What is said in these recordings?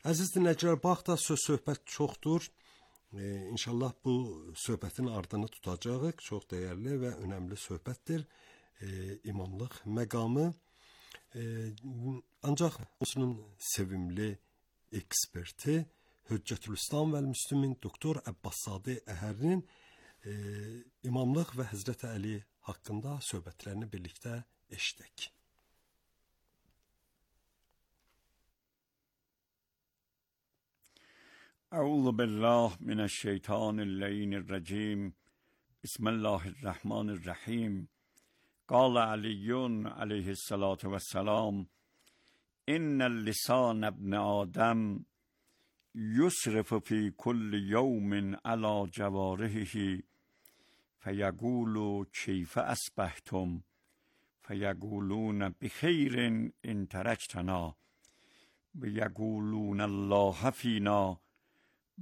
Əziz dinləyicilər, bax da söhbət çoxdur. İnşallah bu söhbətin ardını tutacağıq. Çox dəyərli və önəmli söhbətdir. İmamlıq məqamı. Ancaq onun sevimli eksperti Hüccətülislam və Müslümin doktor Əbbaszadə Əhərinin imamlıq və Həzrət Əli haqqında söhbətlərini birlikdə eşitdik. اعوذ بالله من الشیطان اللعین الرجیم بسم الله الرحمن الرحیم قال علی علیه الصلاة والسلام ان اللسان ابن آدم یصرف فی کل یوم علی جوارحه فیقول کیف اصبحتم فیقولون بخیر ان ترکتنا و یقولون الله فینا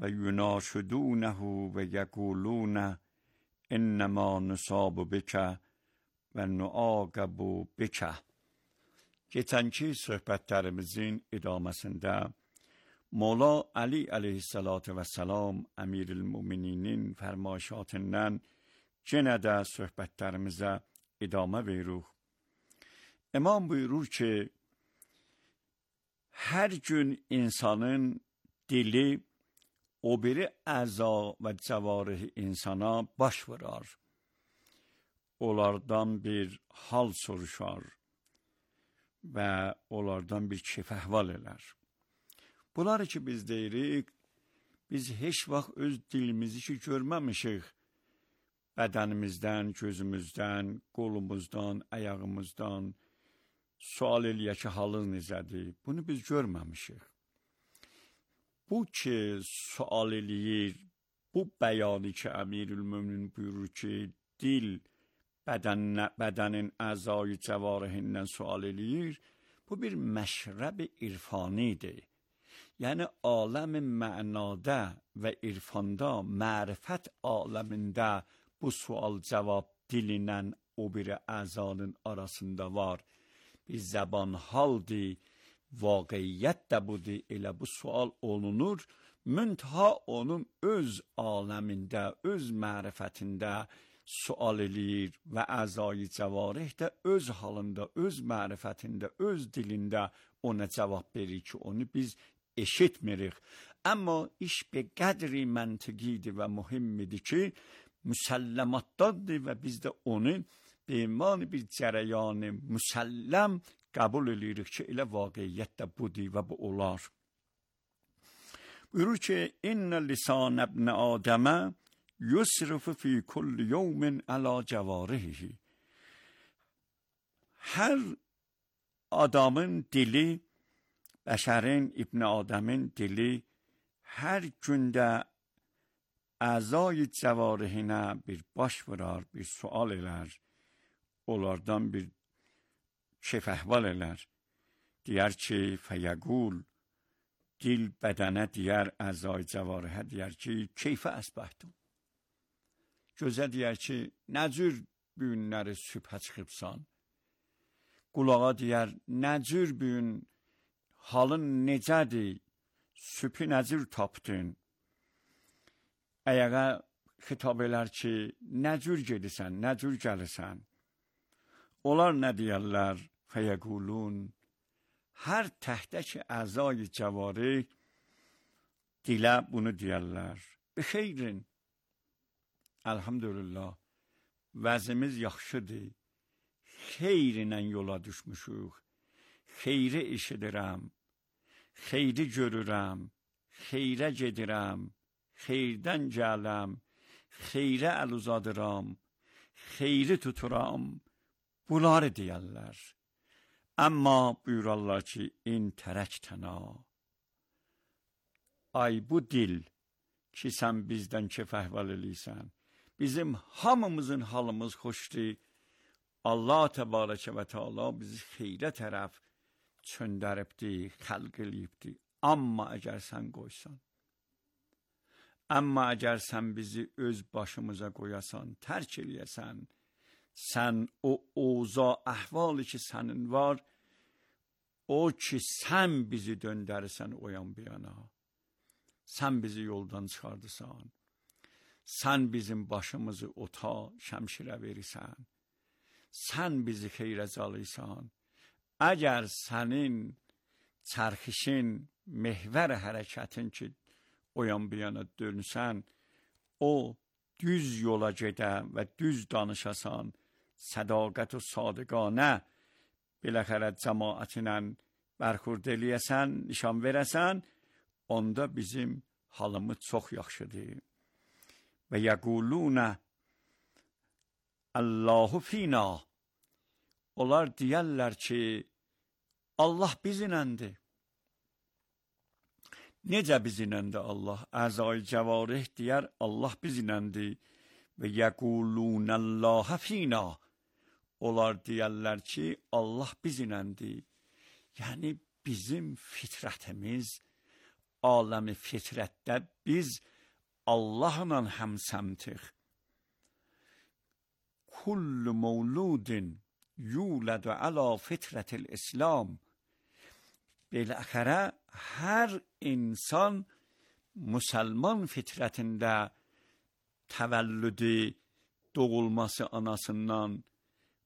و یناشدونه و یقولون انما نصاب بک و نعاقب بک. Keçənki söhbətlərimizin idaməsində Mola Ali aleyhissalatu vesselam Əmirül-Mömininin fərmayişatından yenə də söhbətlərimizə idamə veririk. İmam buyurur ki, hər gün insanın dili o biri əza və cəvarih insana baş vurar. Onlardan bir hal soruşar və onlardan bir keyf-əhval elər. Bunları ki biz deyirik, biz heç vaxt öz dilimizi ki görməmişik. Bədənimizdən, gözümüzdən, qolumuzdan, ayağımızdan sual eləyək ki, halın necədir? Bunu biz görməmişik. Bu ki sual eləyir, bu bəyanı ki Əmirül-Möminin buyurur ki, dil bədənin əzayı cəvarihindən sual eləyir, bu bir məşrəb-i irfanidir. Yəni aləm-i mənada və irfanda, mərifət aləmində bu sual-cavab dilindən o biri əzanın arasında var. Bir zəban haldır, vaqiyyət də budur, elə bu sual olunur, müntəha onun öz aləmində, öz mərifətində sual eləyir və əzayı cəvarih də öz halında, öz mərifətində, öz dilində ona cavab verir ki, onu biz eşitmirik. Amma iş bir qədri məntiqidir və mühimmidir ki, müsəlləmatdadır və biz də onu beymani bir cərəyanı müsəlləm qəbul edirik ki, elə vaqiyyət də budur və bu olar. Buyurur ki, İnnə lisan ibn Adəmə yusrifu fi kulli yevmin ala cəvarihi. Hər adamın dili, bəşərin, İbn Adəmin dili hər gündə əzayı cəvarihinə bir baş vurar, bir sual elər, onlardan bir keyf-əhval elər. Deyər ki, fəyəqul, dil bədənə deyər, əzayı cəvarihə deyər ki, keyfə əsbəhdim. Gözə deyər ki, nə cür bu günləri sübhə çıxıbsan? Qulağa deyər, nə cür bu gün halın necədir? Sübhü nə cür tapdın? Ayağa xitab elər ki, nə cür gedirsən, nə cür gəlirsən? Onlar nə deyərlər? Fəyəqulun, hər təhdəki əzayı cəvarih dilə bunu deyərlər. Bixeyrin, əlhamdülillah, vəzimiz yaxşıdır, xeyrinlə yola düşmüşük, xeyri eşidirəm, xeyri görürəm, xeyrə gedirəm, xeyrdən gələm, xeyrə əl uzadıram, xeyri tuturam, bunları deyərlər. Amma buyurarlar ki, in tərəktəna. Ay bu dil ki, sən bizdən keyf-əhval eləysən, bizim hamımızın halımız xoşdur. Allah təbarəkə və təala bizi xeyrə tərəf çöndəribdir, xəlq eləyibdir. Amma əgər sən qoysan, amma əgər sən bizi öz başımıza qoyasan, tərk eləyəsən, sən o oza əhvalı ki sənin var, o ki sen bizi döndürürsen o yan bir yana. Sen bizi yoldan çıkardırsan. Sen bizim başımızı ota şəmşirə verirsən. Sen bizi xeyrə calıysan. Əgər sənin çərxişin, mehvər hərəkətin ki o yan bir yana dönsən, o düz yola gedə və düz danışasan, sədaqət و sadiqanə biləxərə cəmaətinlə bərxurd eləyəsən, nişan verəsən, onda bizim halımız çox yaxşıdır. Və yəqulunə Allahu fina. Onlar deyərlər ki, Allah bizimlədir. Necə bizimlədir Allah? Əzai cəvarih deyər, Allah bizimlədir. Və yəqulunəllaha fina. Onlar deyərlər ki, Allah bizimlədir. Yəni bizim fitrətimiz, aləmi fitrətdə biz Allahla həmsəmtik. Kullu mevludin yuladu ala fitrətil İslam. Beləxərə, hər insan Müsəlman fitrətində təvəllüdü, doğulması anasından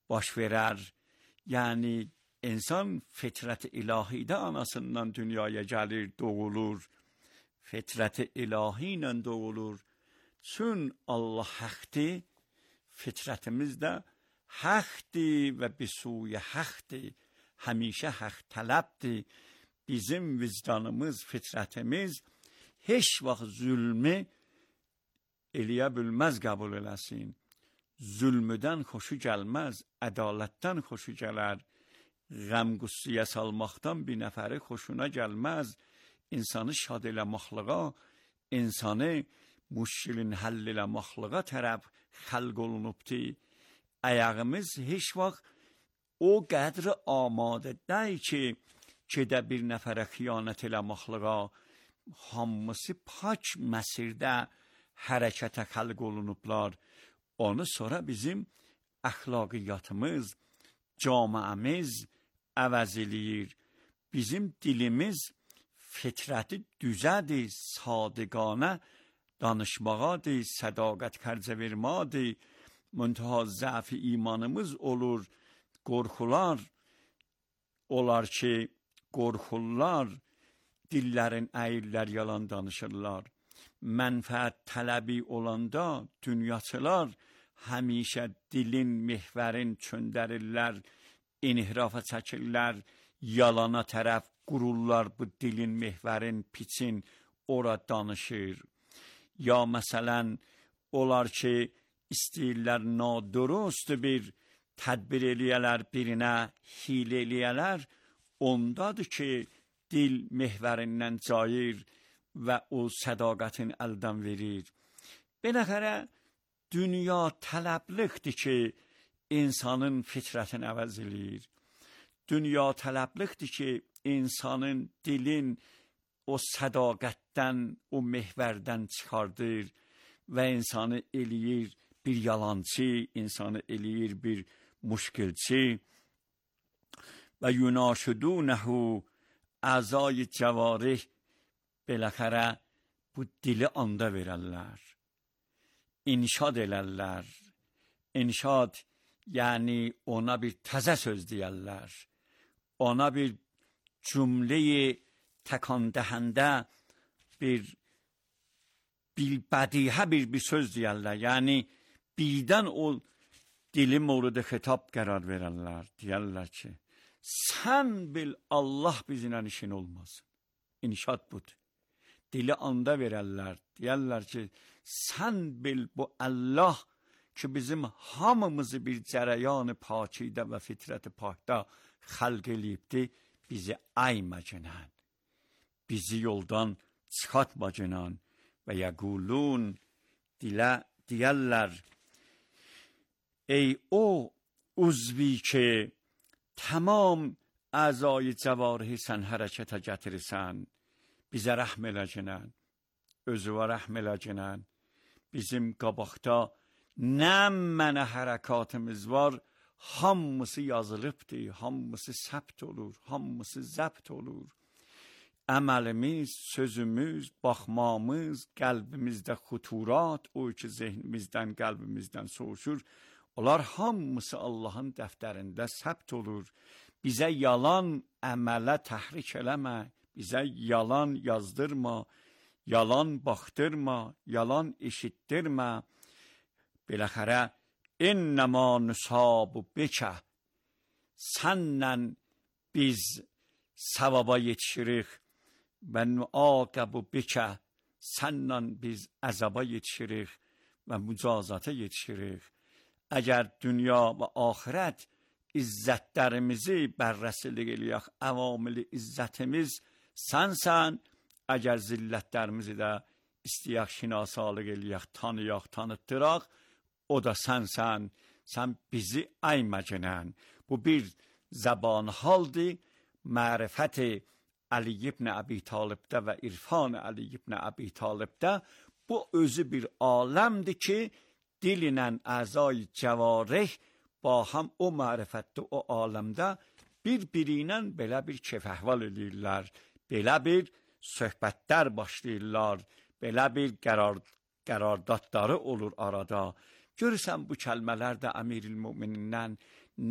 baş verər. Yəni, insan fitrət-i ilahidə anasından dünyaya gəlir, doğulur. Fitrət-i ilahi ilə doğulur. Çün Allah həqdir, fitrətimiz də həqdir və bisuyə həqdir. Həmişə həq tələbdir. Bizim vicdanımız, fitrətimiz heç vaxt zülmü eləyə bilməz, qəbul eləsin. Zülmüdən xoşu gəlməz, ədalətdən xoşu gələr. Qəm-qüssiyə salmaqdan bir nəfəri xoşuna gəlməz. İnsanı şad eləməklığa, insanı müşkilin həll eləməklığa tərəf xəlq olunubdur. Ayağımız heç vaxt o qədri amadə deyil ki, gedə bir nəfərə xiyanət eləməklığa, hamısı pak məsirdə hərəkətə xəlq olunublar. Onu sonra bizim əxlaqiyyatımız, camiəmiz əvəz eləyir. Bizim dilimiz fitrəti düzədir, sadiqanə danışmağadır, sədaqət xərcə vermədir. Müntəha zəf imanımız olur, qorxular olar ki, qorxurlar, dillərin əyirlər, yalan danışırlar. Mənfəət tələbi olanda dünyaçılar həmişə dilin, mehvərin çöndərirlər, inhirafa çəkirlər, yalana tərəf qururlar bu dilin, mehvərin, piçin, ora danışır. Ya məsələn, olar ki, istəyirlər nadurust bir tədbir eləyələr, birinə hilə eləyələr, ondadır ki, dil mehvərindən cayır və o sədaqətin əldən verir. Beləxərə, dünya tələblikdir ki, insanın fitrətini əvəz eləyir. Dünya tələblikdir ki, insanın dilin o sədaqətdən, o mehvərdən çıxardır və insanı eləyir bir yalancı, insanı eləyir bir müşkilçi. Və yunaşidunəhu əzai cəvarih, beləxərə bu dili anda verərlər. İnşad elərlər. İnşad, yəni ona bir təzə söz deyərlər. Ona bir cümleyi təkan dəhəndə bir bədihə bir söz deyərlər. Yəni birdən o dili mövrudu xitab qərar verərlər. Deyərlər ki, sən bil Allah bizimlə işin olmasın. İnşad budur. Dili anda verərlər. Deyərlər ki, sən bil bu Allah ki bizim hamımızı bir cərəyan-ı pakidə və fitrət-i pakda xəlq eləyibdir, bizi ayma cinən, bizi yoldan çıxatma cinən və yəqulun, deyərlər, ey o uzvi ki tamam əzai cəvarihi sən hərəkətə gətirirsən, bizə rəhm elə cinən, özüvə rəhm elə cinən, bizim qabaqda nə mənə hərəkatımız var, hamısı yazılıbdır, hamısı səbt olur, hamısı zəbt olur. Əməlimiz, sözümüz, baxmamız, qəlbimizdə xuturat, o ki zehnimizdən, qəlbimizdən soğuşur, onlar hamısı Allahın dəftərində səbt olur. Bizə yalan əmələ təhrik eləmə, bizə yalan yazdırma, yalan baxdırma, yalan eşitdirmə. Beləxərə, innəmə nüsabu bikə, sənlə biz savaba yetişirik və nuaqəbu bikə, sənlə biz əzaba yetişirik və mücazata yetişirik. Əgər dünya və axirət izzətlərimizi bərrəsilik eləyək, əvamili izzətimiz sənsən, əgər zillətlərimizi də istəyək şinasalıq eləyək, tanıyaq, tanıtdıraq, o da sənsən, sən bizi əyməcənən. Bu bir zəban haldır, mərifət-i Ali ibn Əbi Talibdə və irfan Ali ibn Əbi Talibdə bu özü bir aləmdir ki, dillə əzai cəvarih ba həm o mərifətdə, o aləmdə bir-biri ilə belə bir keyf-əhval edirlər, belə bir söhbətlər başlayırlar, belə bir qərardadları olur arada. Görürsən bu kəlmələr də Əmirül-Müminindən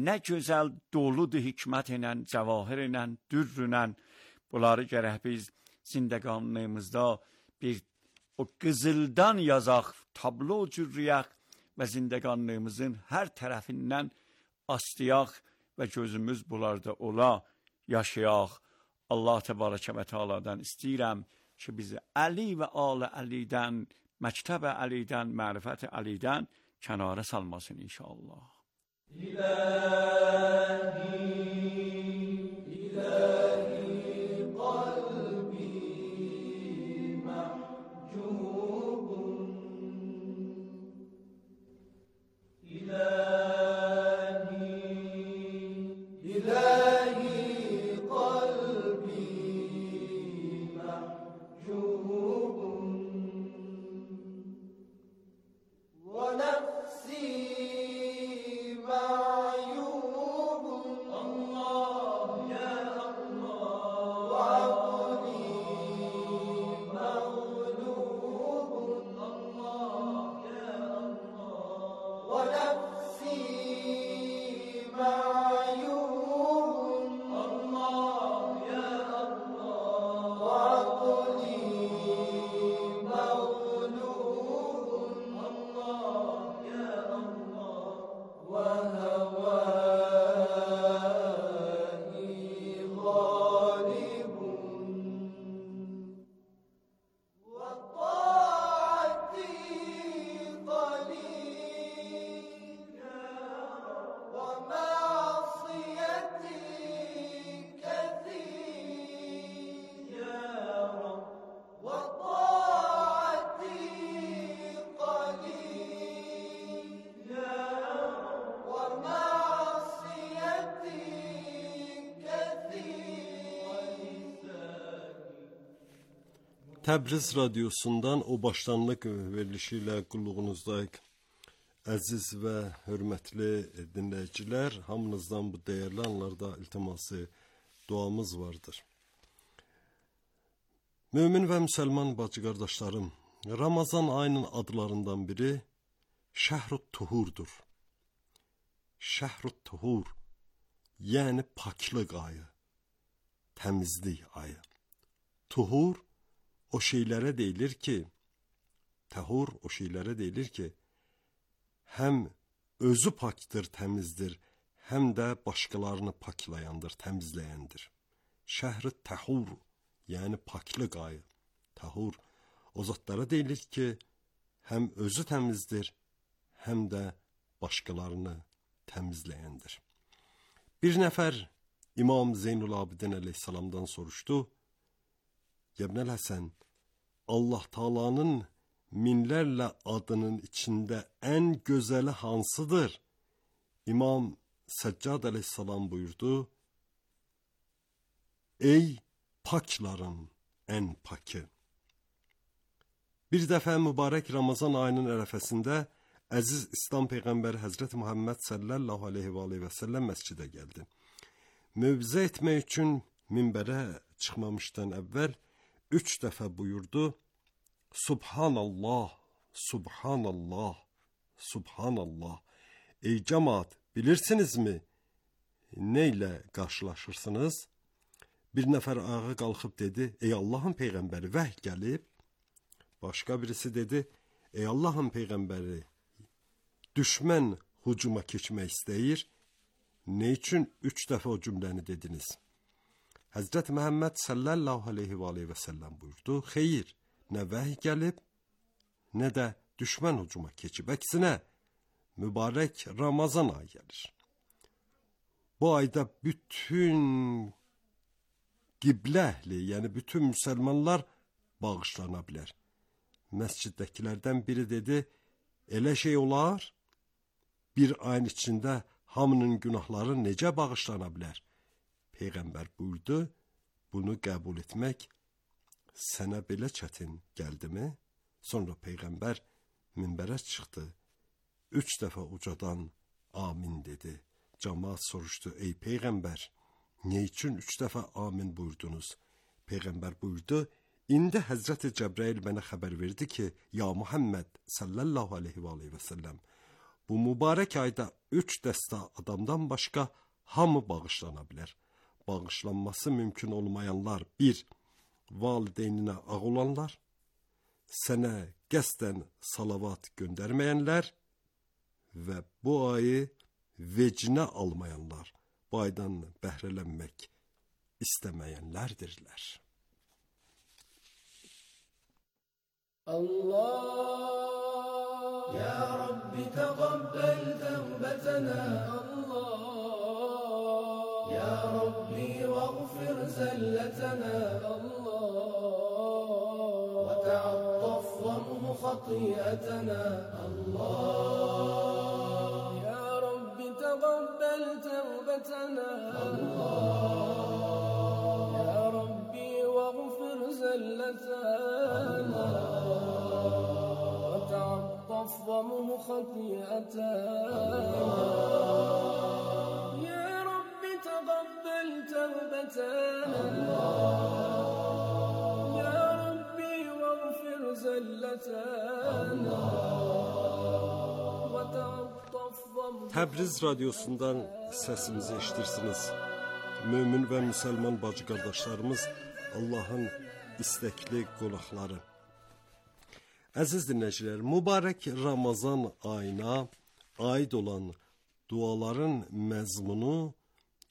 nə gözəl doludur hikmət ilə, cəvahir ilə, dürr ilə. Bunları gərək biz zindəqanlığımızda bir o qızıldan yazaq, tablo cürrüyək və zindəqanlığımızın hər tərəfindən astıyaq və gözümüz bunlarda ola, yaşayaq. Allah təbarəkə və teala'dan istəyirəm ki, bizi Əli və Alə Əlidən, məktəb Əlidən, mərifət Əlidən kənara salmasın inşallah. Təbriz radiosundan o başlanlıq verilişi ilə qulluğunuzdayıq. Əziz və hörmətli dinləyicilər, hamınızdan bu dəyərli anlarda iltiması, duamız vardır. Mömin və müsəlman bacı qardaşlarım, Ramazan ayının adlarından biri Şəhrut Tuhurdur. Şəhrut Tuhur, yəni paklıq ayı, təmizlik ayı. Tuhur o şeylərə deyilir ki, təhur o şeylərə deyilir ki, həm özü pakdır, təmizdir, həm də başqalarını paklayandır, təmizləyəndir. Şəhr-i təhur, yəni paklıq ayı, təhur o zatlara deyilir ki, həm özü təmizdir, həm də başqalarını təmizləyəndir. Bir nəfər İmam Zeynul Abidin əleyhissalamdan soruşdu, Yebnəl Həsən, Allah Taala'nın minlərlə adının içində ən gözəli hansıdır? İmam Səccad əleyhissalam buyurdu, ey pakların ən pakı. Bir dəfə mübarək Ramazan ayının ərəfəsində Əziz İslam Peyğəmbəri Həzrəti Muhammed sallallahu aleyhi və səlləm məscidə gəldi. Mövzə etmək üçün minbərə çıxmamışdan əvvəl 3 dəfə buyurdu: Subhanallah, Subhanallah, Subhanallah. Ey cəmaat, bilirsinizmi nə ilə qarşılaşırsınız? Bir nəfər ayağa qalxıb dedi: Ey Allahın Peyğəmbəri, vəhy gəlib. Başqa birisi dedi: Ey Allahın Peyğəmbəri, düşmən hücuma keçmək istəyir. Nə üçün 3 dəfə o cümləni dediniz? Həzrət Məhəmməd sallallahu aleyhi və səlləm buyurdu: Xeyr, nə vəhy gəlib, nə də düşmən hücuma keçib. Əksinə, mübarək Ramazan ayı gəlir. Bu ayda bütün qiblə əhli, yəni bütün müsəlmanlar bağışlana bilər. Məsciddəkilərdən biri dedi: Elə şey olar? Bir ayın içində hamının günahları necə bağışlana bilər? Peyğəmbər buyurdu: Bunu qəbul etmək sənə belə çətin gəldimi? Sonra Peyğəmbər minbərə çıxdı. 3 dəfə ucadan amin dedi. Cəmaət soruşdu: Ey Peyğəmbər, nə üçün 3 dəfə amin buyurdunuz? Peyğəmbər buyurdu: İndi Həzrəti Cəbrail mənə xəbər verdi ki, ya Muhammed sallallahu aleyhi və səlləm, bu mübarək ayda 3 dəstə adamdan başqa hamı bağışlana bilər. Bağışlanması mümkün olmayanlar: 1. Valideyninə ağ olanlar, sənə qəsdən salavat göndərməyənlər və bu ayı vecinə almayanlar, bu aydan bəhrələnmək istəməyənlərdirlər. Allah ya Rabbi taqabbal tawbatana Allah ya Rabbi waghfir zallatana Allah wa ta'attaf wa khati'atana Allah ya Rabbi taqabbal tawbatana Allah ya Rabbi waghfir zallatana ومن خطيئتنا يا رب تقبل توبتنا يا ربي واغفر زلتنا وتعطف Təbriz radiosundan səsimizi eşitirsiniz. Mömin və müsəlman bacı qardaşlarımız, Allahın istəkli qonaqları. Əziz dinləyicilər, mübarək Ramazan ayına aid olan duaların məzmunu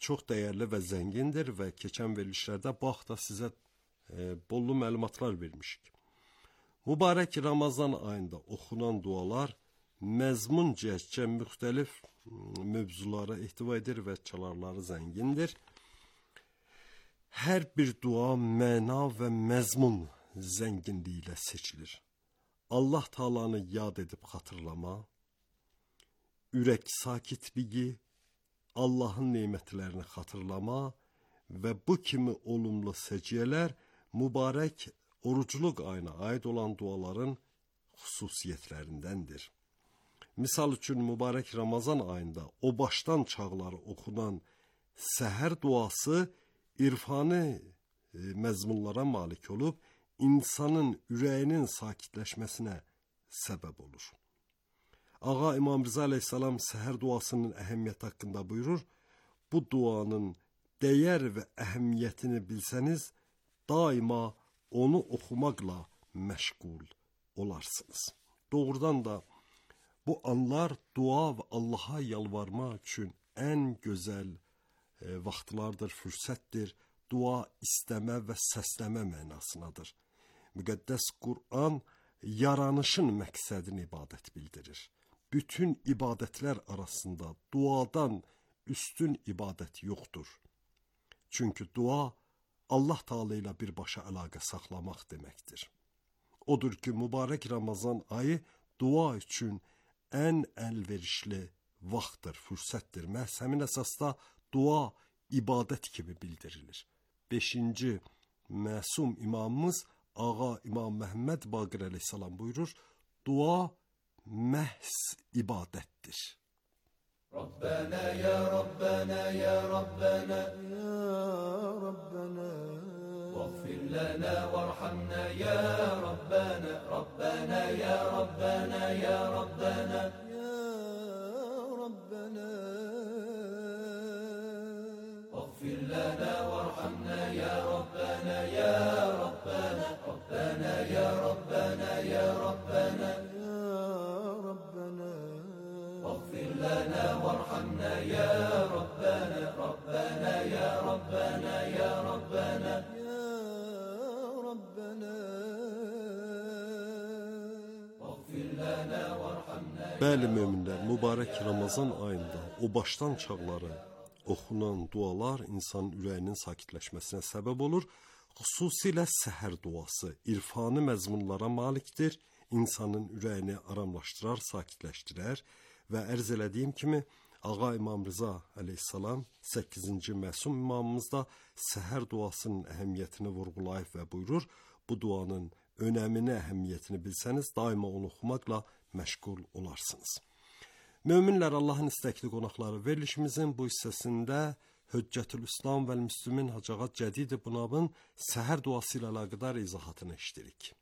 çox dəyərli və zəngindir və keçən verilişlərdə bu haqda sizə bollu məlumatlar vermişik. Mübarək Ramazan ayında oxunan dualar məzmun cəhətcə müxtəlif mövzulara ehtiva edir və çalarları zəngindir. Hər bir dua məna və məzmun zənginliyi ilə seçilir. Allah Taala'nı yad edib xatırlama, ürək sakitliyi, Allahın nemətlərini xatırlama və bu kimi olumlu səciyyələr mübarək orucluq ayına aid olan duaların xüsusiyyətlərindəndir. Misal üçün, mübarək Ramazan ayında o başdan çağları oxunan səhər duası irfani məzmunlara malik olub, insanın ürəyinin sakitləşməsinə səbəb olur. Ağa İmam Rıza Aleyhisselam səhər duasının əhəmiyyəti haqqında buyurur: Bu duanın dəyər və əhəmiyyətini bilsəniz, daima onu oxumaqla məşğul olarsınız. Doğrudan da bu anlar dua və Allaha yalvarmaq üçün ən gözəl vaxtlardır, fürsətdir. Dua istəmə və səsləmə mənasındadır. Müqəddəs Qur'an yaranışın məqsədini ibadət bildirir. Bütün ibadətlər arasında duadan üstün ibadət yoxdur. Çünki dua Allah Taala ilə birbaşa əlaqə saxlamaq deməkdir. Odur ki, mübarək Ramazan ayı dua üçün ən əlverişli vaxtdır, fürsətdir. Məhz həmin əsasda dua ibadət kimi bildirilir. 5-ci məsum imamımız Ağa İmam Məhəmməd Baqir əleyhissalam buyurur: Dua məhz ibadətdir. ربنا يا ربنا يا ربنا يا ربنا واغفر لنا وارحمنا يا ربنا ربنا يا ربنا يا ربنا يا ربنا واغفر لنا وارحمنا يا ربنا يا ربنا ربنا يا ربنا يا ربنا يا ربنا واغفر لنا وارحمنا يا ربنا ربنا يا ربنا يا ربنا يا ربنا واغفر لنا وارحمنا. Bəli möminlər, mübarək Ramazan ayında o başdan çağları oxunan dualar insanın ürəyinin sakitləşməsinə səbəb olur. Xüsusilə səhər duası irfani məzmunlara malikdir. İnsanın ürəyini aramlaşdırar, sakitləşdirər və ərz elədiyim kimi Ağa İmam Rıza əleyhissalam 8-ci məsum imamımız da səhər duasının əhəmiyyətini vurğulayıb və buyurur, bu duanın önəmini, əhəmiyyətini bilsəniz daima onu oxumaqla məşğul olarsınız. Möminlər, Allahın istəkli qonaqları, verilişimizin bu hissəsində Hüccətül-İslam və Müslümin Hacı Cədid Bunabın səhər duası ilə əlaqədar izahatını eşidirik.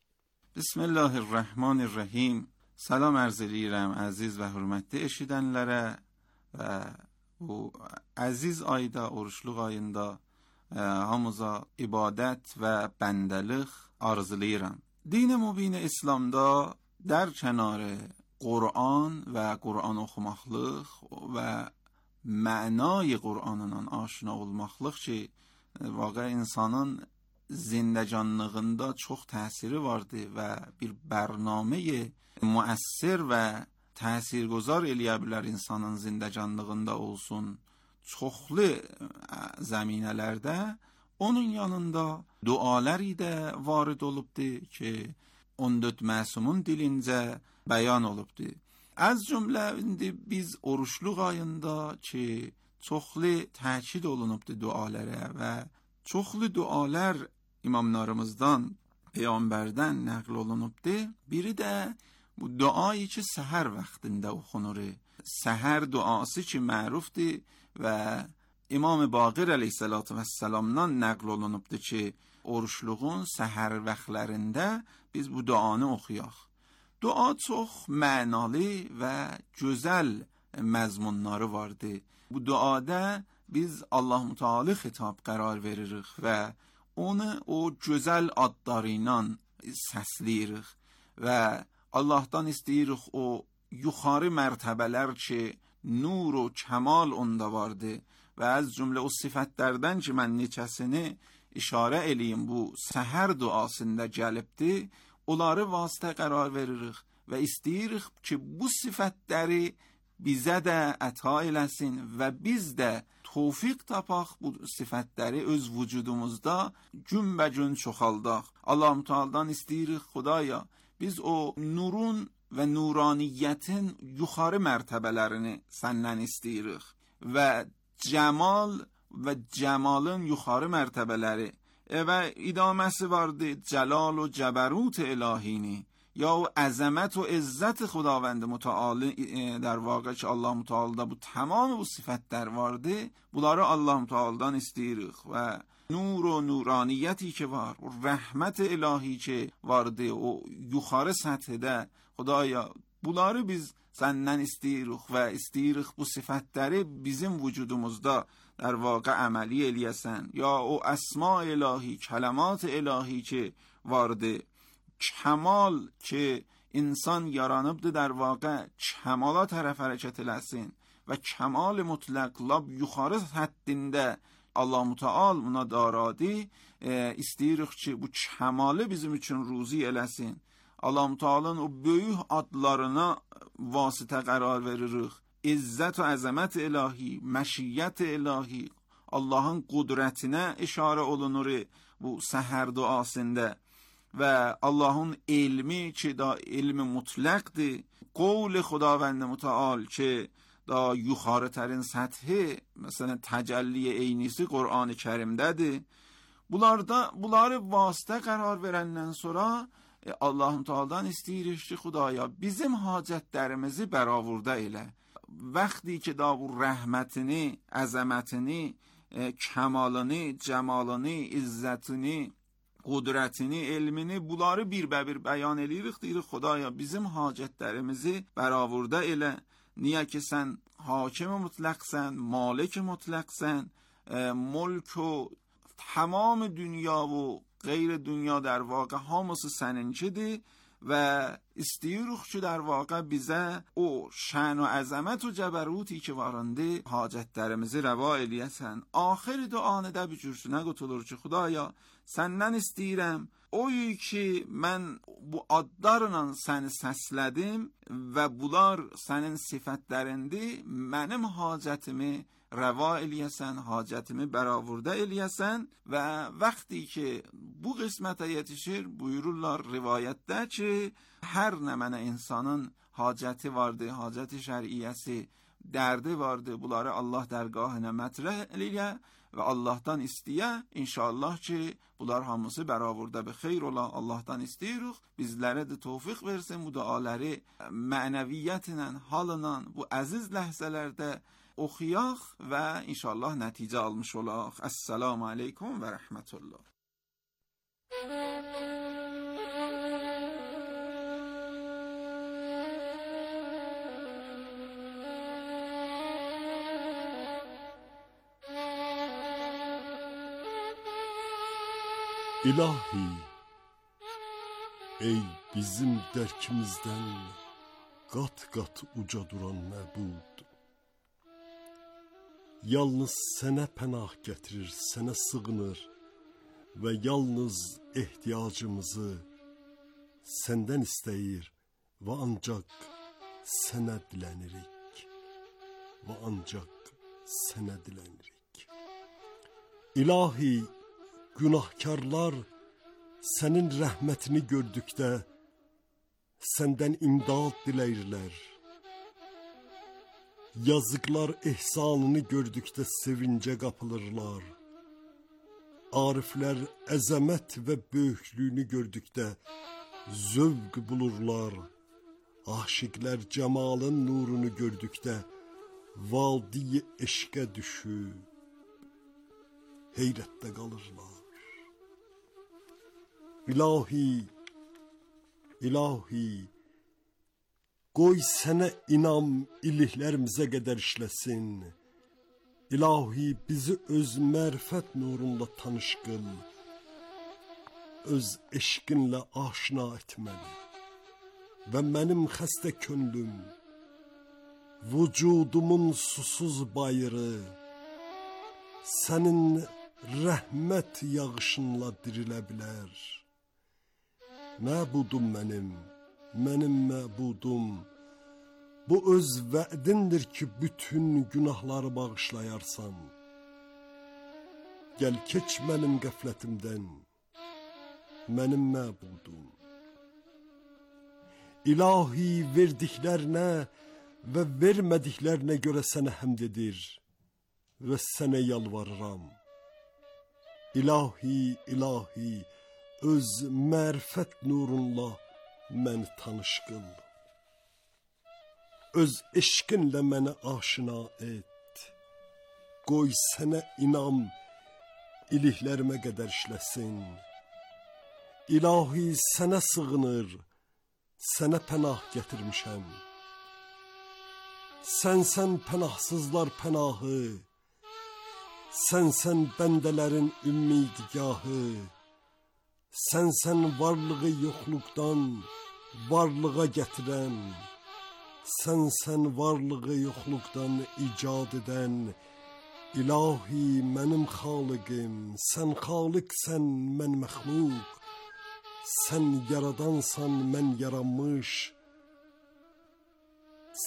Bismillahirrahmanirrahim. Salam ərz edirəm əziz və hörmətli eşidənlərə və bu əziz ayda, oruçluq ayında hamıza ibadət və bəndəlik arzulayıram. Din-i mübin İslamda در کنار قرآن و قرآن oxumaqlıq və mənay Qur'anından aşina olmaqlıq ki, واقع insanın zindəcanlığında çox təsiri vardı və bir bərnamə müəssir və təsirgüzar eləyə bilər insanın zindəcanlığında olsun çoxlu zəminələrdə. Onun yanında duaları da varid olubdu ki 14 məsumun dilincə bəyan olubdu. Az cümlə indi biz oruçluq ayında ki çoxlu təkid olunubdu dualara və çoxlu dualar imamlarımızdan, peyğəmbərdən nəql olunubdu. Biri də bu duayı ki səhər vaxtında oxunur. Səhər duası ki mərufdur və İmam Baqir əleyhissalatu vesselamdan nəql olunubdu ki oruçluğun səhər vaxtlarında biz bu duanı oxuyaq. Dua çox mənalı və gözəl məzmunları vardı. Bu duada biz Allah Teala xitab qərar veririk və onu o gözəl adları ilə səsləyirik və Allahdan istəyirik o yuxarı mərtəbələr ki nur و kəmal onda vardı və az cümlə o sifətlərdən ki mən neçəsini işarə eləyim bu səhər duasında gəlibdi, onları vasitə qərar veririk və istəyirik ki bu sifətləri bizə də əta eləsin və biz də tövfiq tapaq bu sifətləri öz vücudumuzda günbəgün çoxaldaq. Allah-u Teala'dan istəyirik Xudaya biz o nurun və nuraniyyətin yuxarı mərtəbələrini səndən istəyirik və cəmal və cəmalın yuxarı mərtəbələri və idaməsi vardı cəlal و cəbərut الهینی یا o əzəmət و izzət خداوند متعال در واقع ki Allah Teala'da bu tamam bu sifətlər vardı. Bunları Allah Teala'dan istəyirik və nur و nuraniyyəti ki var, o rəhmət ilahi ki vardı o yuxarı səthdə Xudaya bunları biz səndən istəyirik və istəyirik bu sifətləri bizim vücudumuzda در واقع əməli eləyəsən ya o əsma ilahi, kələmat ilahi ki vardı. Kəmal ki insan yaranıbdı در واقع kəmala tərəf hərəkət eləsin və kəmal mütləq lab yuxarı həddində Allah-u Teala buna daradı. İstəyirik ki bu kəmalı bizim üçün ruzi eləsin. Allah-u Teala'nın o böyük adlarına vasitə qərar veririk. İzzət və əzəmət ilahi, məşiyyət ilahi, Allahın qudrətinə işarə olunur bu səhər duasında və Allahın elmi ki da elmi mütləqdir. Qovl Xudavənd Mütəal ki da yuxarı tərin səthi, məsələn təcəlli eynisi Qur'an-ı Kərimdədir. Bunları vasitə qərar verəndən sonra Allahum Teala'dan istəyirik ki, Xudaya bizim hacətlərimizi bəravurda elə. Vaxtı ki da bu rəhmətini, əzəmətini, kəmalını, cəmalını, izzətini, qudrətini, elmini, bunları bir bəyan eləyirik, deyirik Xudaya bizim hacətlərimizi bəravurda elə. Niyə ki sən hakim mutlaqsən, malik mutlaqsən, mülk و تمام dünya و غیر dünya در واقع hamısı səninkidir və istəyirik ki در واقع bizə o şən و əzəmət و cəbəruti ki varındı hacətlərimizi rəva eləyəsən. Axir duanı da bir cürsünə qutulur ki Xudaya səndən istəyirəm oyu ki mən bu adlarla səni səslədim və bunlar sənin sifətlərindir, mənim hacətimi rəva eləyəsən, hacətimi bəravurda eləyəsən və vaxtı ki bu qismətə yetişir buyururlar rivayətdə ki hər nə mənə insanın hacəti vardı, hacəti şəriyyəsi, dərdi vardı, bunları Allah dərgahına mətrəh eləyə və Allahdan istəyə, inşallah ki bunlar hamısı bəravurda bir xeyr ola. Allahdan istəyirik, bizlərə də tövfiq versin bu duaları mənəviyyətlə, halına bu əziz ləhzələrdə oxuyaq və inşallah nəticə almış olaq. Əssalamu aleykum və rəhmətullah. İlahi, ey bizim dərkimizdən qat-qat uca duran məbud, yalnız sənə pənah gətirir, sənə sığınır və yalnız ehtiyacımızı səndən istəyir və ancaq sənə dilənirik və ancaq sənə dilənirik. İlahi, günahkarlar sənin rəhmətini gördükdə səndən imdad diləyirlər. Yazıqlar ehsanını gördükdə sevincə qapılırlar. Ariflər əzəmət və böyüklüyünü gördükdə zövq bulurlar. Aşiqlər cəmalın nurunu gördükdə vadi eşqə düşüb heyrətdə qalırlar. İlahi, ilahi, qoy sənə inam iliklərimizə qədər işləsin. İlahi, bizi öz mərifət nurunla tanış qıl. Öz eşqinlə aşina etməli. Və mənim xəstə könlüm, vücudumun susuz bayırı, sənin rəhmət yağışınla dirilə bilər. Məbudum mənim məbudum, bu öz vədindir ki, bütün günahları bağışlayarsan. Gəl keç mənim qəflətimdən, mənim məbudum. İlahi, verdiklərinə və vermədiklərinə görə sənə həmd edir və sənə yalvarıram. İlahi, ilahi, öz mərifət nurunla məni tanış qıl. Öz eşqinlə məni aşina et. Qoy sənə inam iliklərimə qədər işləsin. İlahi, sənə sığınır, sənə pənah gətirmişəm. Sənsən pənahsızlar pənahı, sənsən bəndələrin ümmidgahı, sənsən varlığı yoxluqdan varlığa gətirən, sənsən varlığı yoxluqdan icad edən. İlahi, mənim xaliqim, sən xaliqsən, mən məxluq, sən yaradansan, mən yaranmış,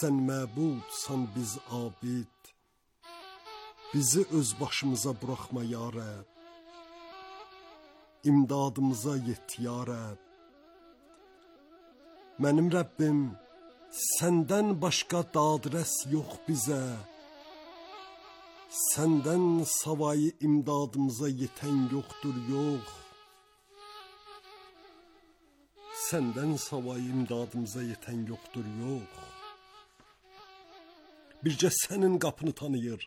sən məbudsan, biz abid. Bizi öz başımıza buraxma ya Rəbb, imdadımıza yet ya Rəbb. Mənim Rəbbim, səndən başqa dadrəs yox bizə, səndən savayı imdadımıza yetən yoxdur, yox. Səndən savayı imdadımıza yetən yoxdur, yox. Bircə sənin qapını tanıyır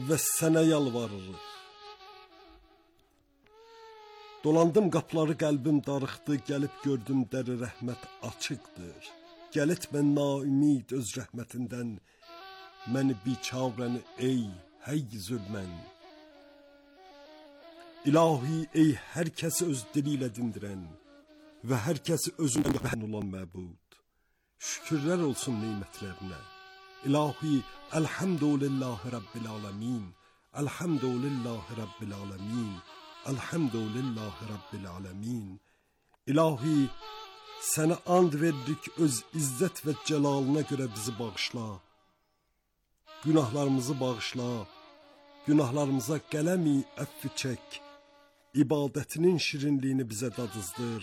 və sənə yalvarırıq. Dolandım qapıları, qəlbim darıxdı, gəlib gördüm dəri rəhmət açıqdır. Gəl etmə naümid öz rəhmətindən, məni biçarəni ey həy zülmən. İlahi ey hər kəsi öz dili ilə dindirən və hər kəsi özündən bəhən olan məbud. Şükürlər olsun neymətlərinə. İlahi elhamdülillahi rabbil alemin. Elhamdülillahi rabbil alemin. Elhamdülillahi rabbil alemin. İlahi sənə and verdik, öz izzət və cəlalına görə bizi bağışla. Günahlarımızı bağışla. Günahlarımıza qələmi əffi çək. İbadətinin şirinliyini bizə dadızdır.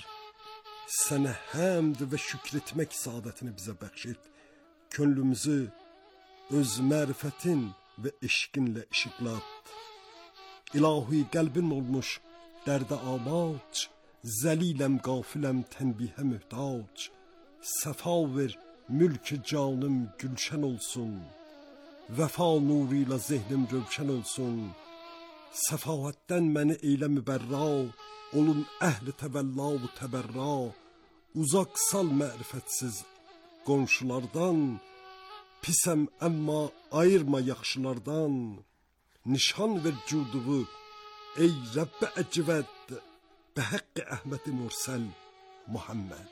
Sənə həmd və şükür etmək saadətini bizə bəxş et. Könlümüzü öz mərifətin və eşqinlə işıqlat. İlahi qəlbim olmuş dərdə amac, zəliləm qafiləm tənbihə möhtac. Səfa ver mülk-i canım gülşən olsun. Vəfa nuru ilə zehnim rövşən olsun. Səfahətdən məni eylə mübərra, olun əhli təvəlla və təbərra. Uzaq sal mərifətsiz qonşulardan, pisəm əmma ayırma yaxşılardan. Nişan ver cuduvu ey Rəbb-i əcvəd, bəhəqqi Əhməd-i Mürsəl Muhammed.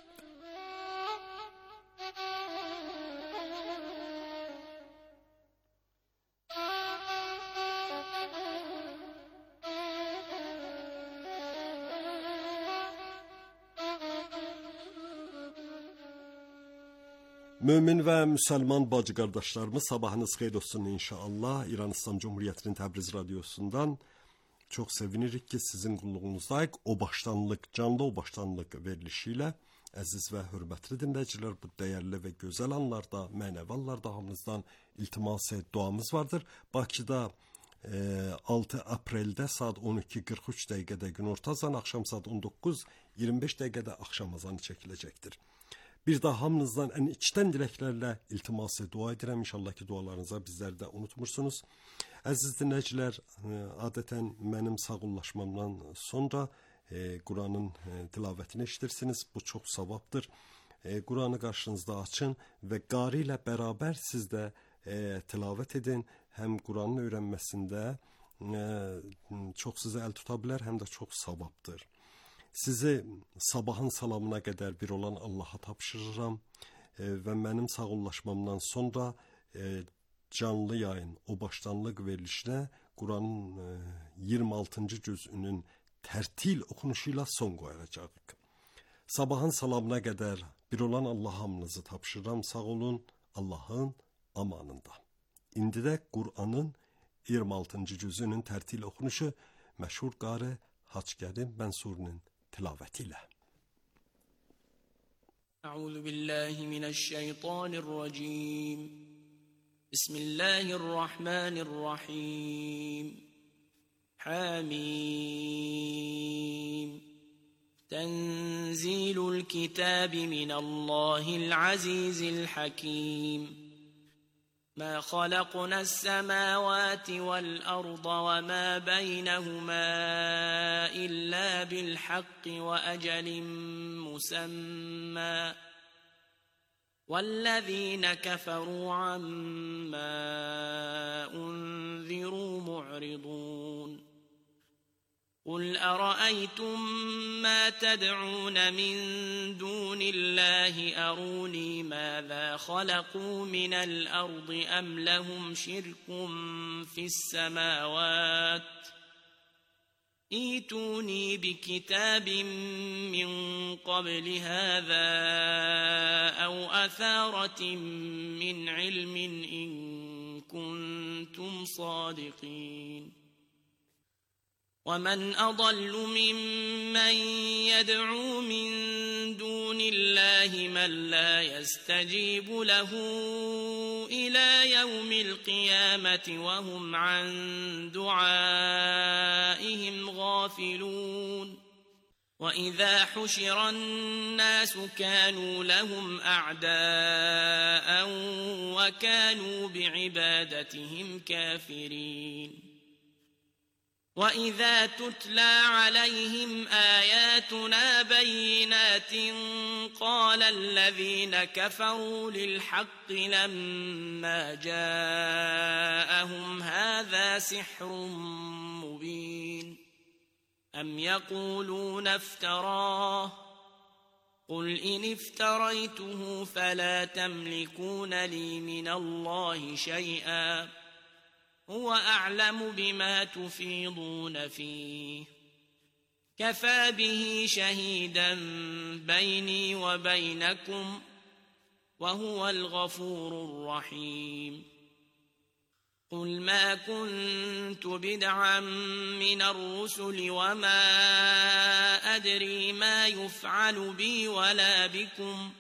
Mömin və müsəlman bacı qardaşlarımız, sabahınız xeyir olsun inşallah. İran İslam Cumhuriyyətinin Təbriz radiosundan çox sevinirik ki, sizin qulluğunuzdayıq. O başdanlıq, canlı o başdanlıq verilişi ilə əziz və hörmətli dinləyicilər, bu dəyərli və gözəl anlarda, mənəvi anlarda hamınızdan iltimas duamız vardır. Bakıda 6 apreldə saat 12:43 dəqiqədə günorta azanı, axşam saat 19:25 dəqiqədə axşam azanı çəkiləcəkdir. Bir daha hamınızdan ən içdən diləklərlə iltiması dua edirəm. İnşallah ki, dualarınıza bizləri də unutmursunuz. Əziz dinləyicilər, adətən mənim sağollaşmamdan sonra Quranın tilavətini eşidirsiniz. Bu çox savabdır. Quranı qarşınızda açın və qari ilə bərabər siz də tilavət edin. Həm Quranın öyrənməsində çox sizə əl tuta bilər, həm də çox savabdır. Sizi sabahın salamına qədər bir olan Allaha tapşırıram və mənim sağollaşmamdan sonra canlı yayın, o başdanlıq verilişinə Quranın 26. cüzünün tərtil oxunuşu ilə son qoyacağıq. Sabahın salamına qədər bir olan Allah hamınızı tapşırıram. Sağ olun, Allahın amanında. İndi də Quranın 26. cüzünün tərtil oxunuşu məşhur qari Hacı Kərim Mənsurinin tilavetiyle. Euzu billahi mineşşeytanirracim. Bismillahirrahmanirrahim. Hamim. Tenzilul kitabi minallahil azizil hakim. ما خلقنا السماوات والأرض وما بينهما إلا بالحق وأجل مسمى والذين كفروا عما أنذروا معرضون قل أرأيتم ما تدعون من دون الله أروني ماذا خلقوا من الأرض أم لهم شرك في السماوات ائتوني بكتاب من قبل هذا أو أثارة من علم إن كنتم صادقين ومن أضل ممن يدعو من دون الله من لا يستجيب له إلى يوم القيامة وهم عن دعائهم غافلون وإذا حشر الناس كانوا لهم أعداء وكانوا بعبادتهم كافرين وإذا تتلى عليهم آياتنا بينات قال الذين كفروا للحق لما جاءهم هذا سحر مبين أم يقولون افتراه قل إن افتريته فلا تملكون لي من الله شيئا هو أعلم بما تفيضون فيه كفى به شهيدا بيني وبينكم وهو الغفور الرحيم قل ما كنت بدعا من الرسل وما أدري ما يفعل بي ولا بكم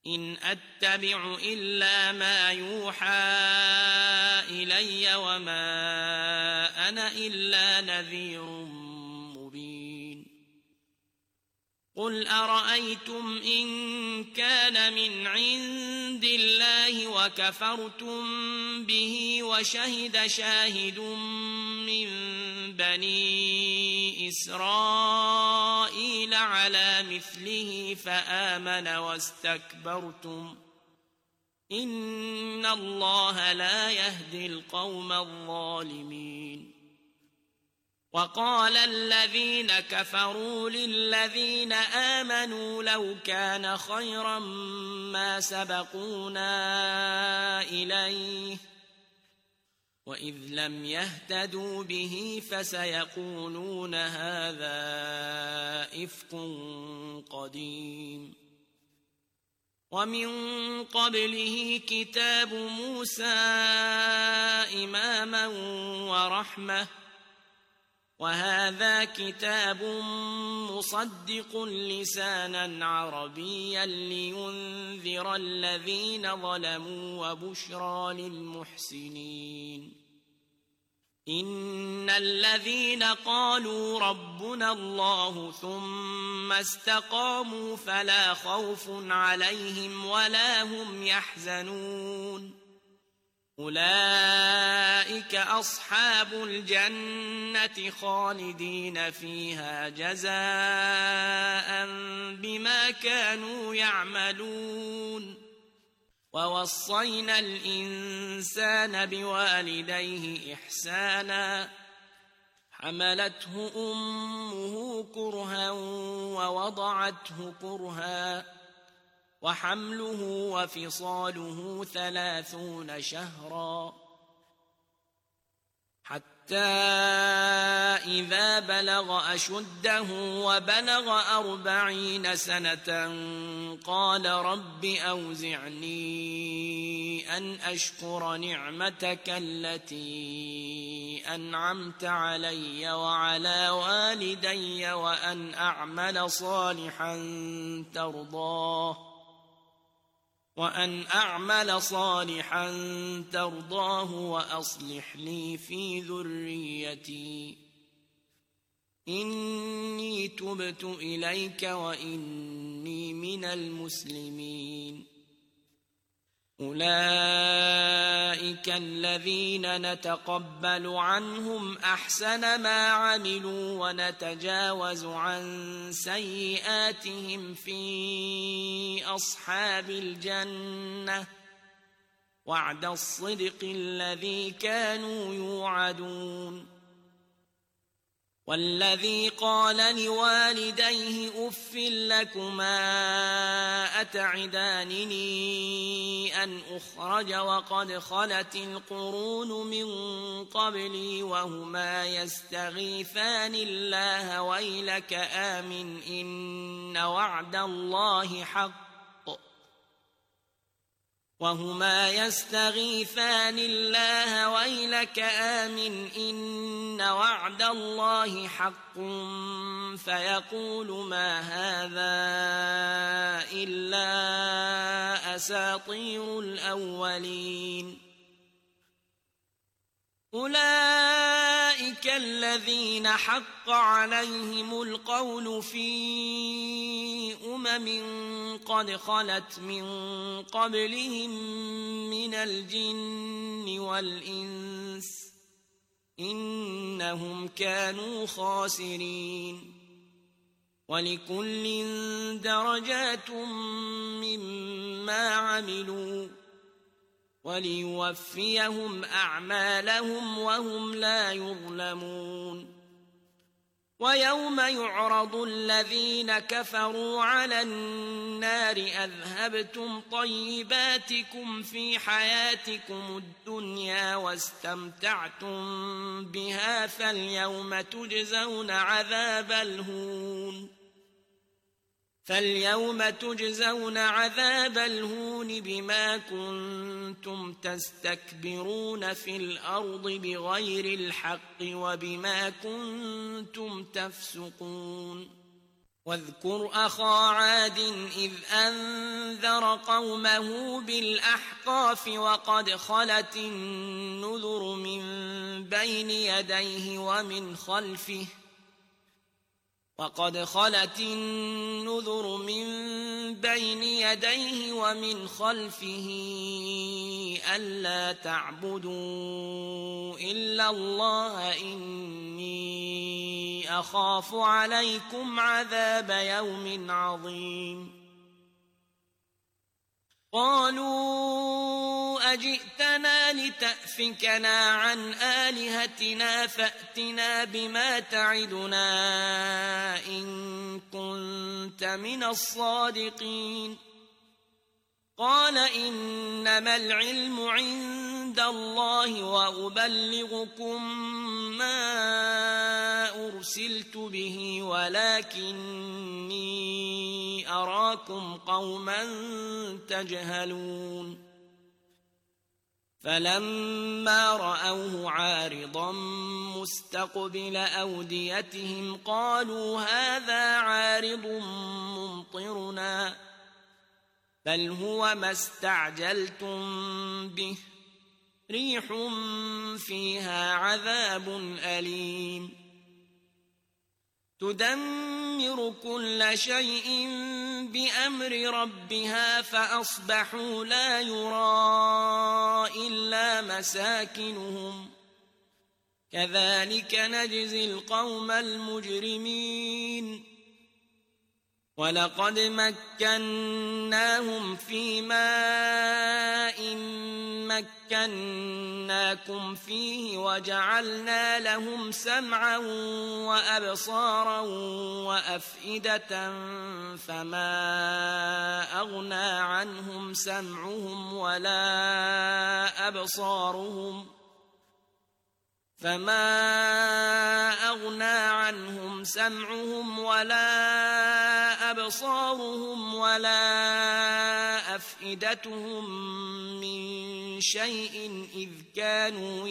إن أتبع إلا ما يوحى إلي وما أنا إلا نذير مبين قل أرأيتم إن كان من عند الله وكفرتم به وشهد شاهد من بني إسرائيل على مثله فآمن واستكبرتم إن الله لا يهدي القوم الظالمين وقال الذين كفروا للذين آمنوا لو كان خيرا ما سبقونا إليه وإذ لم يهتدوا به فسيقولون هذا إفك قديم ومن قبله كتاب موسى إماما ورحمة وهذا كتاب مصدق لسانا عربيا لينذر الذين ظلموا وبشرى للمحسنين إن الذين قالوا ربنا الله ثم استقاموا فلا خوف عليهم ولا هم يحزنون أولئك أصحاب الجنة خالدين فيها جزاء بما كانوا يعملون ووصينا الإنسان بوالديه إحسانا حملته أمه كرها ووضعته كرها وحمله وفصاله 30 شهرا حتى إذا بلغ أشده وبلغ 40 سنة قال رب أوزعني أن أشكر نعمتك التي أنعمت علي وعلى والدي وأن أعمل صالحا ترضاه وأصلح لي في ذريتي إني تبت إليك وإني من المسلمين أولئك الذين نتقبل عنهم أحسن ما عملوا ونتجاوز عن سيئاتهم في أصحاب الجنة وعد الصدق الذي كانوا يوعدون والذي قال لوالديه أف لكما أتعدانني أن أخرج وقد خلت القرون من قبلي وهما يستغيثان الله ويلك آمن إن وعد الله حق وهما يستغيثان الله ويلك آمن إن وعد الله حق فيقول ما هذا إلا أساطير الأولين أولئك أولئك الذين حق عليهم القول في قد خلت من قبلهم من الجن والإنس إنهم كانوا خاسرين ولكل درجات مما عملوا وليوفيهم أعمالهم وهم لا يظلمون ويوم يعرض الذين كفروا على النار أذهبتم طيباتكم في حياتكم الدنيا واستمتعتم بها فاليوم تجزون عذاب الهون بما كنتم تستكبرون في الأرض بغير الحق وبما كنتم تفسقون واذكر أخا عاد إذ أنذر قومه بالأحقاف وقد خلت النذر من بين يديه ومن خلفه ألا تعبدوا إلا الله إني أخاف عليكم عذاب يوم عظيم قالوا أجئتنا لتأفكنا عن آلهتنا فأتنا بما تعدنا إن كنت من الصادقين قال إنما العلم عند الله وأبلغكم ما أرسلت به ولكني أراكم قوما تجهلون فلما رأوه عارضا مستقبل أوديتهم قالوا هذا عارض ممطرنا بل هو ما استعجلتم به ريح فيها عذاب أليم تدمر كل شيء بأمر ربها فأصبحوا لا يرى إلا مساكنهم كذلك نجزي القوم المجرمين ولقد مكناهم في ماء مكناكم فيه وجعلنا لهم سمعا وأبصارا وأفئدة فما أغنى عنهم سمعهم ولا أبصارهم ولا أفئدتهم من شيء إذ كانوا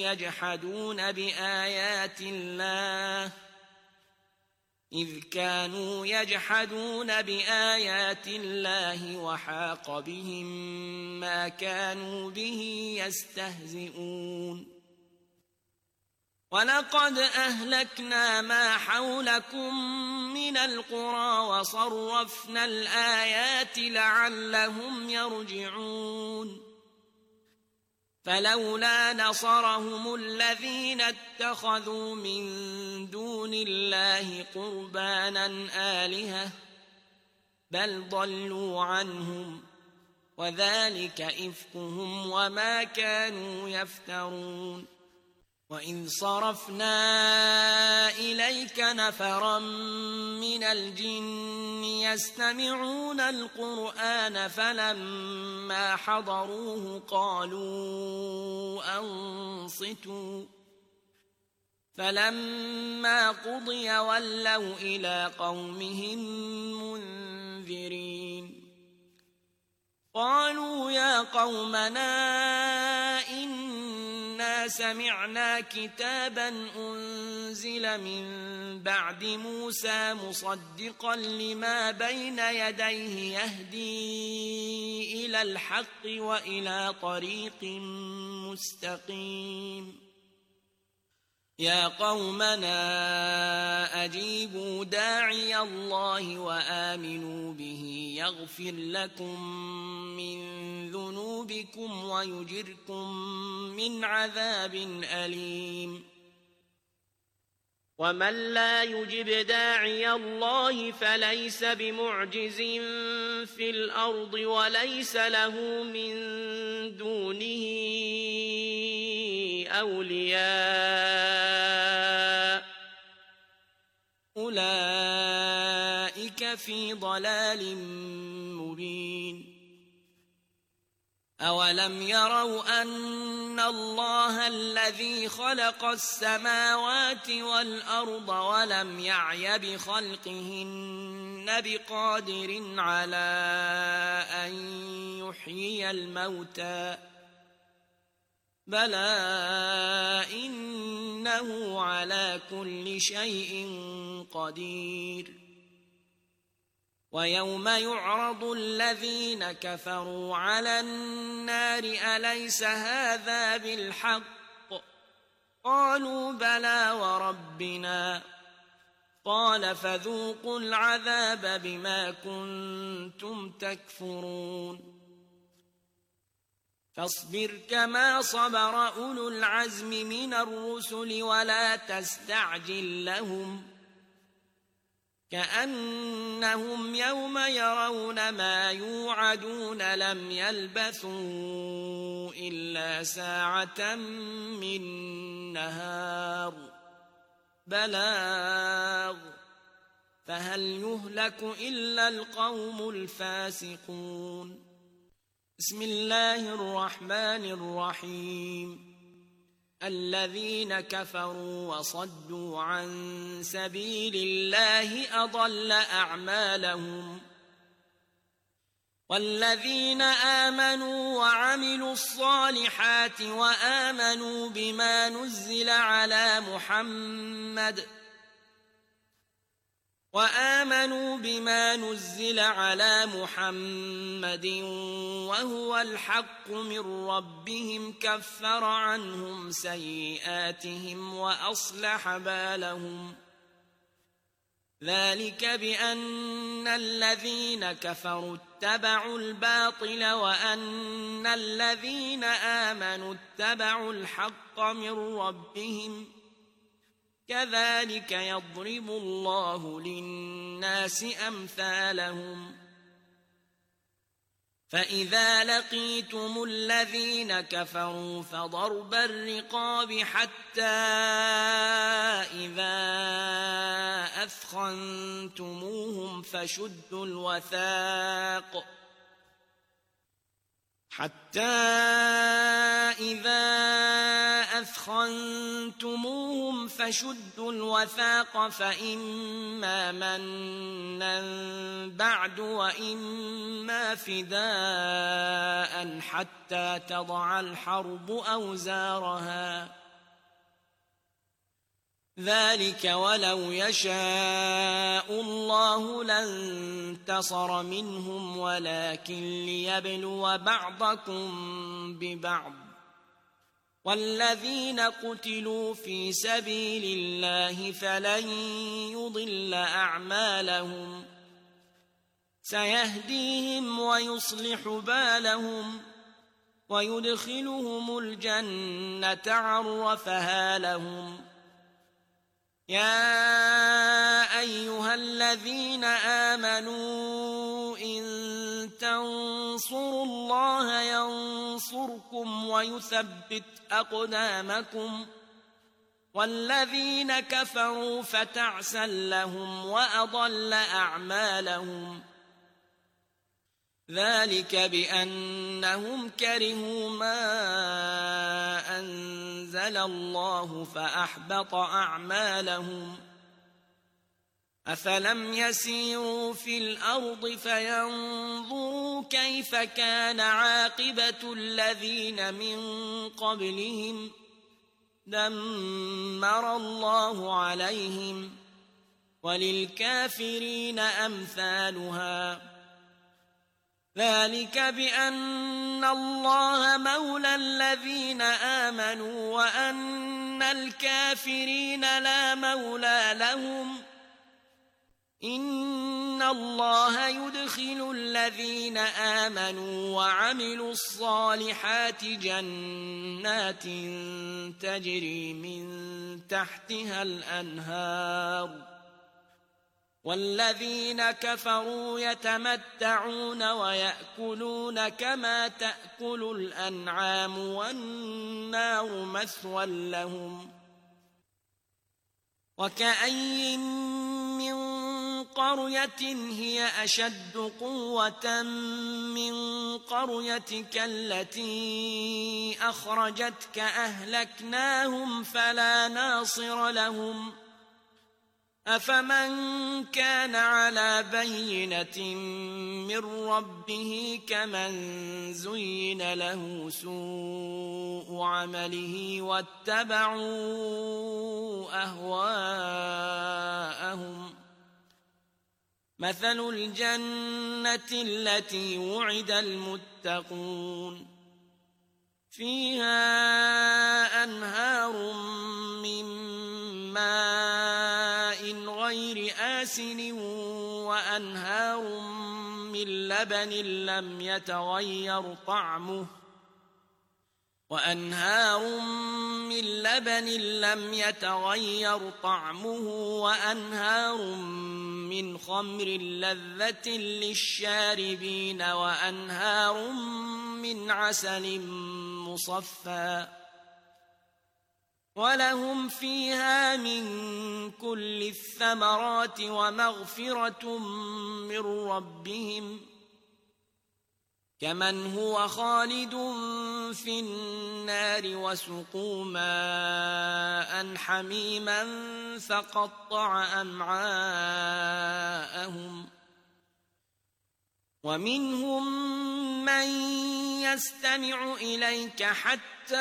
يجحدون بآيات الله وحاق بهم ما كانوا به يستهزئون ولقد أهلكنا ما حولكم من القرى وصرفنا الآيات لعلهم يرجعون فلولا نصرهم الذين اتخذوا من دون الله قربانا آلهة بل ضلوا عنهم وذلك إفكهم وما كانوا يفترون وإذ صرفنا إليك نفرا من الجن يستمعون القرآن فلما حضروه قالوا أنصتوا فلما قضي ولوا إلى قومهم منذرين قالوا يا قومنا إنا سمعنا كتابا أنزل من بعد موسى مصدقا لما بين يديه يهدي إلى الحق وإلى طريق مستقيم يا قومنا أجيبوا داعي الله وآمنوا به يغفر لكم من ذنوبكم ويجركم من عذاب أليم ومن لا يجب داعي الله فليس بمعجز في الأرض وليس له من دونه أولياء أولئك في ضلال مبين أولم يروا أن الله الذي خلق السماوات والأرض ولم يعي بخلقهن بقادر على أن يحيي الموتى بلى إنه على كل شيء قدير ويوم يعرض الذين كفروا على النار أليس هذا بالحق قالوا بلى وربنا قال فذوقوا العذاب بما كنتم تكفرون فاصبر كما صبر أولو العزم من الرسل ولا تستعجل لهم كأنهم يوم يرون ما يوعدون لم يلبثوا إلا ساعة من نهار بلاغ فهل يهلك إلا القوم الفاسقون بسم الله الرحمن الرحيم الذين كفروا وصدوا عن سبيل الله أضل أعمالهم والذين آمنوا وعملوا الصالحات وآمنوا بما نزل على محمد وهو الحق من ربهم كفر عنهم سيئاتهم وأصلح بالهم ذلك بأن الذين كفروا اتبعوا الباطل وأن الذين آمنوا اتبعوا الحق من ربهم كذلك يضرب الله للناس أمثالهم فإذا لقيتم الذين كفروا فضرب الرقاب حتى إذا أثخنتموهم فشدوا الوثاق فإما منا بعد وإما فداء حتى تضع الحرب أوزارها ذلك ولو يشاء الله لانتصر منهم ولكن ليبلو بعضكم ببعض والذين قتلوا في سبيل الله فلن يضل أعمالهم سيهديهم ويصلح بالهم ويدخلهم الجنة عرفها لهم يا أيها الذين آمنوا إن تنصروا الله ينصركم ويثبت أقدامكم والذين كفروا فتعسا لهم وأضل أعمالهم ذلك بأنهم كرهوا ما أنزل الله فأحبط أعمالهم أفلم يسيروا في الأرض فينظروا كيف كان عاقبة الذين من قبلهم دمر الله عليهم وللكافرين أمثالها ذلك بأن الله مولى الذين آمنوا وأن الكافرين لا مولى لهم إن الله يدخل الذين آمنوا وعملوا الصالحات جنات تجري من تحتها الأنهار والذين كفروا يتمتعون ويأكلون كما تأكل الأنعام والنار مثوى لهم وكأين من قرية هي أشد قوة من قريتك التي أخرجتك أهلكناهم فلا ناصر لهم أفمن كان على بينة من ربه كمن زين له سوء عمله واتبعوا أهواءهم مثل الجنة التي وعد المتقون فيها أنهار من ماء غير آسن وأنهار من لبن لم يتغير طعمه وأنهار من خمر لذة للشاربين وأنهار من عسل مصفى ولهم فيها من كل الثمرات ومغفرة من ربهم كمن هو خالد في النار وسقوا ماء حميما فقطع أمعاءهم ومنهم من يستمع إليك حتى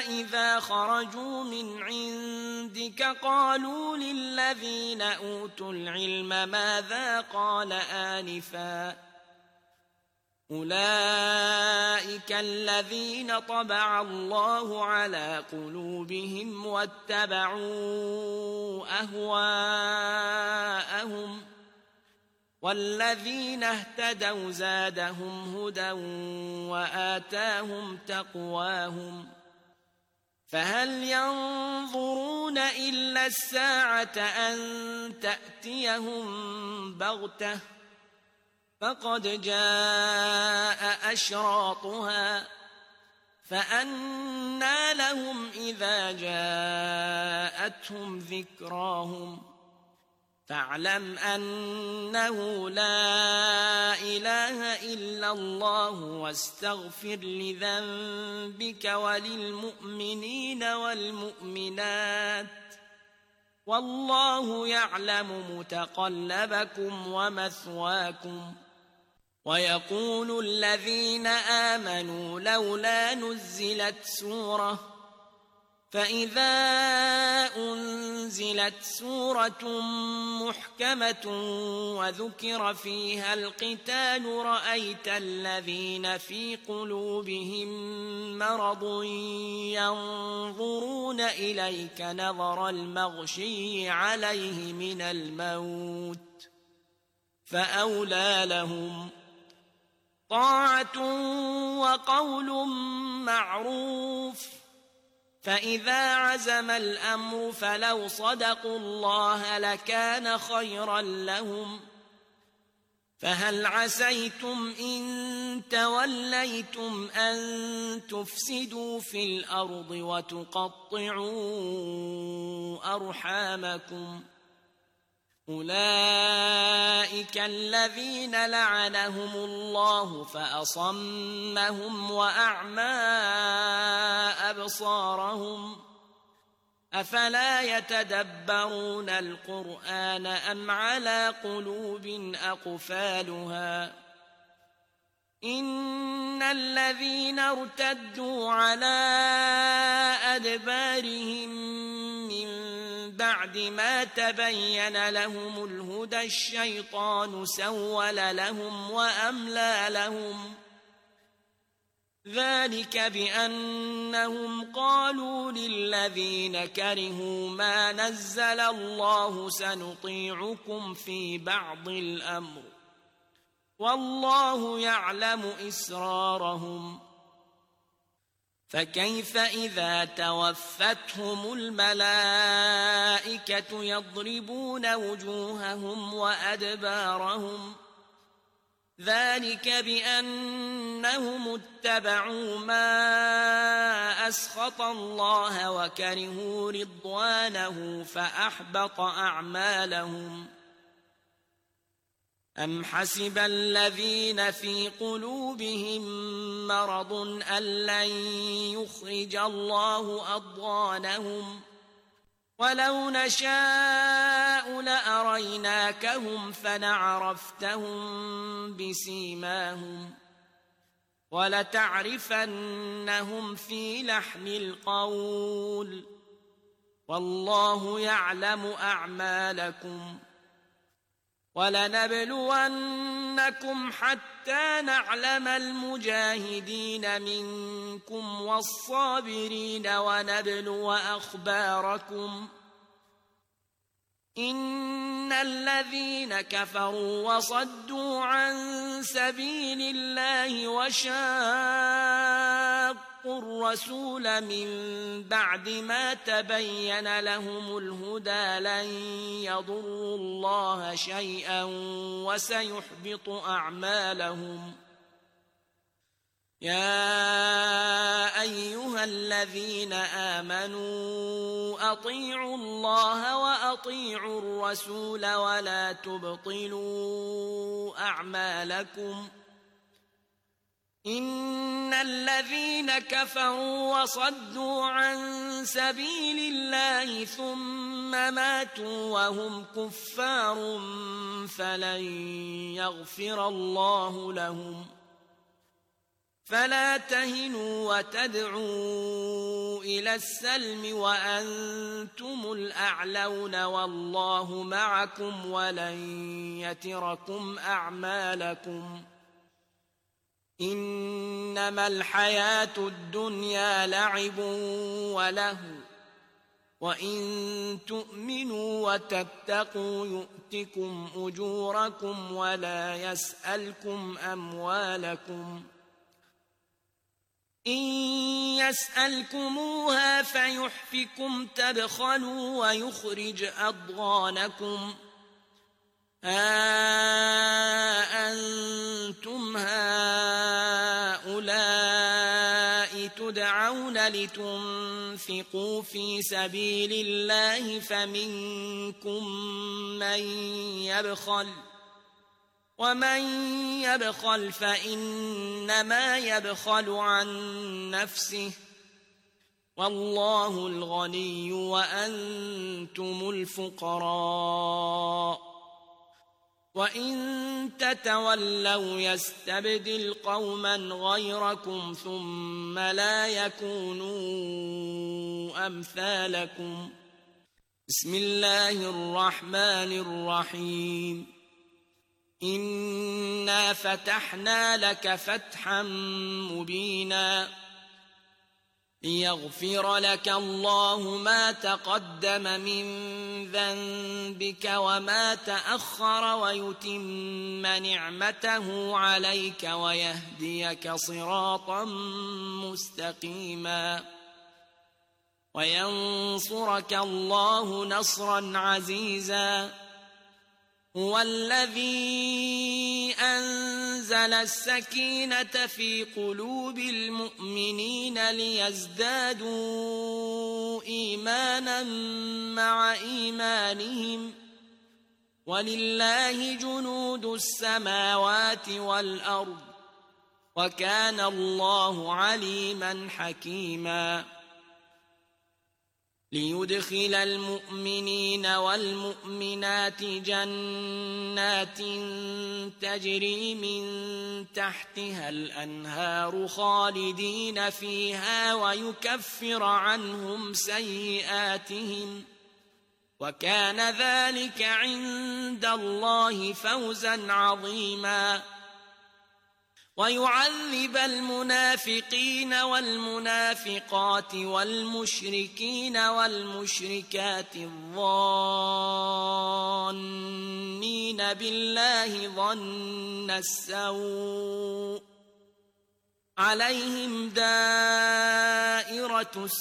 إذا خرجوا من عندك قالوا للذين أوتوا العلم ماذا قال آنفا أولئك الذين طبع الله على قلوبهم واتبعوا أهواءهم والذين اهتدوا زادهم هدى وآتاهم تقواهم فهل ينظرون إلا الساعة أن تأتيهم بغتة فقد جاء أشراطها فأنى لهم إذا جاءتهم ذكراهم فاعلم أنه لا إله إلا الله واستغفر لذنبك وللمؤمنين والمؤمنات والله يعلم متقلبكم ومثواكم ويقول الذين آمنوا لولا نزلت سورة فإذا أنزلت سورة محكمة وذكر فيها القتال رأيت الذين في قلوبهم مرض ينظرون إليك نظر المغشي عليه من الموت فأولى لهم طاعة وقول معروف فإذا عزم الأمر فلو صدقوا الله لكان خيرا لهم فهل عسيتم إن توليتم أن تفسدوا في الأرض وتقطعوا أرحامكم أولئك الذين لعنهم الله فأصمهم وأعمى أبصارهم أفلا يتدبرون القرآن أم على قلوب أقفالها إن الذين ارتدوا على أدبارهم من بعد بعد ما تبين لهم الهدى الشيطان سول لهم وأملى لهم ذلك بأنهم قالوا للذين كرهوا ما نزل الله سنطيعكم في بعض الأمر والله يعلم إسرارهم فكيف إذا توفتهم الملائكة يضربون وجوههم وأدبارهم ذلك بأنهم اتبعوا ما أسخط الله وكرهوا رضوانه فأحبط أعمالهم أم حسب الذين في قلوبهم مرض أن لن يخرج الله أضغانهم ولو نشاء لأريناكهم فلعرفتهم بسيماهم ولتعرفنهم في لحن القول والله يعلم أعمالكم ولنبلونكم حتى نعلم المجاهدين منكم والصابرين ونبلو أخباركم إن الذين كفروا وصدوا عن سبيل الله وشاقوا الرسول من بعد ما تبين لهم الهدى لن يضروا الله شيئا وسيحبط أعمالهم يا أيها الذين آمنوا أطيعوا الله وأطيعوا الرسول ولا تبطلوا أعمالكم إن الذين كفروا وصدوا عن سبيل الله ثم ماتوا وهم كفار فلن يغفر الله لهم فلا تهنوا وتدعوا إلى السلم وأنتم الأعلون والله معكم ولن يتركم أعمالكم إنما الحياة الدنيا لعب ولهو وإن تؤمنوا وتتقوا يؤتكم أجوركم ولا يسألكم أموالكم إن يسألكموها فيحفكم تبخلوا ويخرج أضغانكم أنتم هؤلاء تدعون لتنفقوا في سبيل الله فمنكم من يبخل ومن يبخل فإنما يبخل عن نفسه والله الغني وأنتم الفقراء وإن تتولوا يستبدل قوما غيركم ثم لا يكونوا أمثالكم بسم الله الرحمن الرحيم إنا فتحنا لك فتحا مبينا ليغفر لك الله ما تقدم من ذنبك وما تأخر ويتم نعمته عليك ويهديك صراطا مستقيما وينصرك الله نصرا عزيزا هو الذي أنزل السكينة في قلوب المؤمنين ليزدادوا إيمانا مع إيمانهم ولله جنود السماوات والأرض وكان الله عليما حكيما ليدخل المؤمنين والمؤمنات جنات تجري من تحتها الأنهار خالدين فيها ويكفر عنهم سيئاتهم وكان ذلك عند الله فوزا عظيما ويعذب المنافقين والمنافقات والمشركين والمشركات الظانين بالله ظن السوء عليهم دائرة السوء